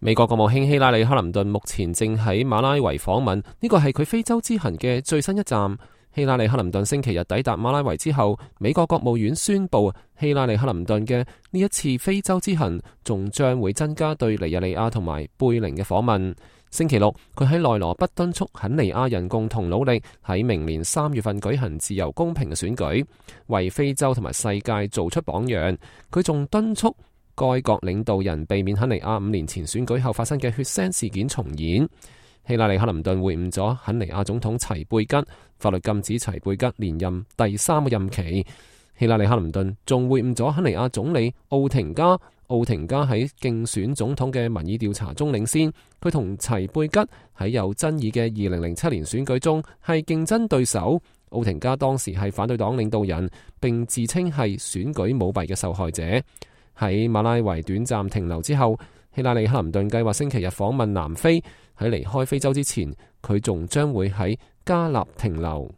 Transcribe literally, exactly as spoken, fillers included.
美國國務卿希拉里·克林頓目前正喺馬拉維訪問，呢個係佢非洲之行嘅最新一站。希拉里·克林頓星期日抵達馬拉維之後，美國國務院宣布，希拉里·克林頓嘅呢一次非洲之行仲將會增加對尼日利亞同埋貝寧嘅訪問。星期六，佢喺內羅畢敦促肯尼亞人共同努力，喺明年三月份舉行自由公平嘅選舉，為非洲同埋世界做出榜樣。佢仲敦促該國領導人避免肯尼亞五年前選舉後發生嘅血腥事件重演。希拉里·克林頓會晤咗肯尼亞總統齊貝吉，法律禁止齊貝吉連任第三個任期。希拉里·克林頓仲會晤咗肯尼亞總理奧廷加。奧廷加喺競選總統嘅民意調查中領先，佢同齊貝吉喺有爭議嘅二零零七年選舉中係競爭對手。奧廷加當時係反對黨領導人，並自稱係選舉舞弊嘅受害者。喺馬拉維短暫停留之後，希拉里·克林頓計劃星期日訪問南非。喺離開非洲之前，佢仲將會喺加納停留。